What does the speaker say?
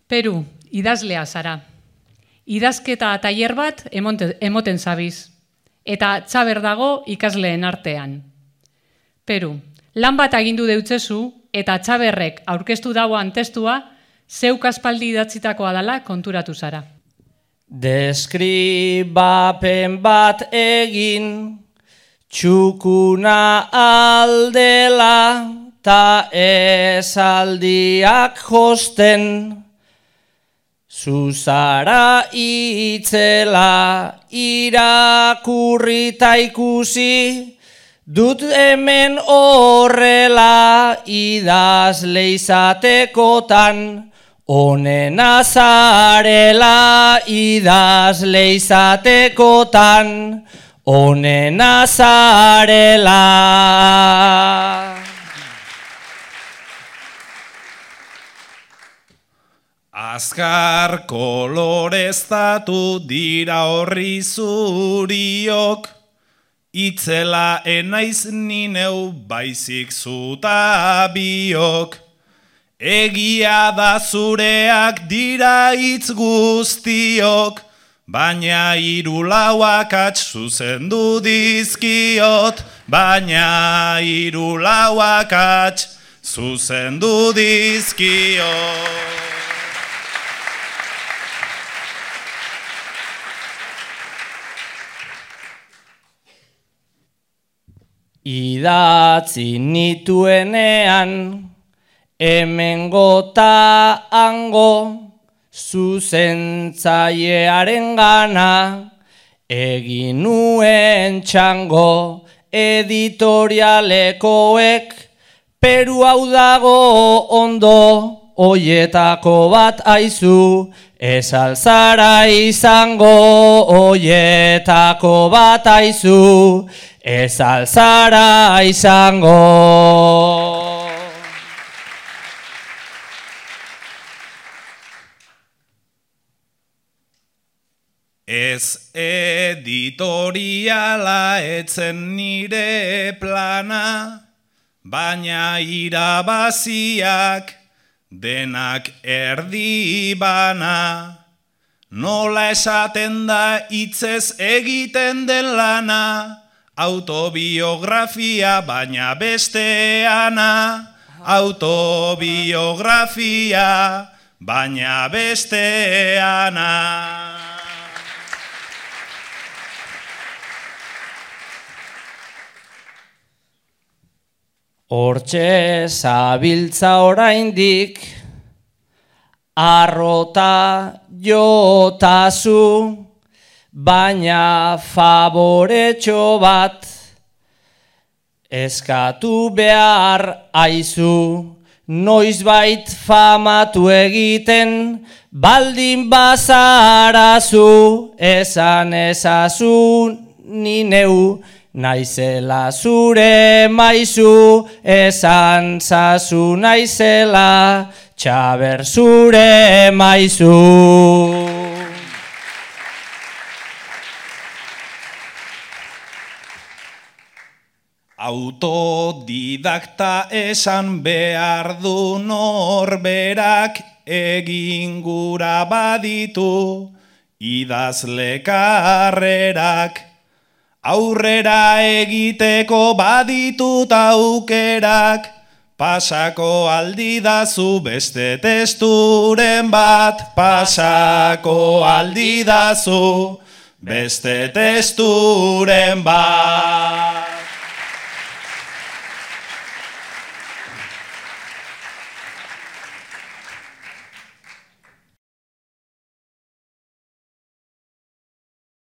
Peru, idazlea zara. Idazketa tailer bat emoten zabiz, eta txaber dago ikasleen artean. Peru, lan bat agindu deutzezu, eta txaberrek aurkeztu dauan testua, zeuk aspaldi idatzitakoa dela konturatu zara. Deskribapen bat egin, txukuna aldela, ta esaldiak josten. Zuzara itzela irakurrita ikusi, dut hemen horrela idazle izatekotan, onena zarela idazle izatekotan, onena zarela. Azkar koloreztatu dira horri zuriok, itzela enaiz nineu baizik zuta biok. Egia da zureak dira hitz guztiok, baina hiru lau akats zuzendu dizkiot, baina hiru lau akats zuzendu dizkiot. Idatzi nituenean, hemengo ta hango, zuzentzailearen gana, egin nuen txango, editorialekoek, Peru hau dago ondo, oietako bat aizu, ez alzara izango, oietako bat aizu, ez alzara izango. Ez editoriala etzen nire plana, baina irabaziak denak erdi bana. Nola esaten da hitzez egiten den lana, autobiografia baina besteana, autobiografia baina besteana. Hortxe zabiltza oraindik, arrota jotazu, baina favoretxo bat eskatu behar aizu, noizbait famatu egiten, baldin bazarazu, esan ezazu ni neu, naizela zure maizu, esan zazu naizela, txaber zure maizu. Autodidakta esan behar du norberak, egin gura baditu idazle karrerak. Aurrera egiteko baditut aukerak, pasako aldidazu beste testuren bat, pasako aldidazu beste testuren bat.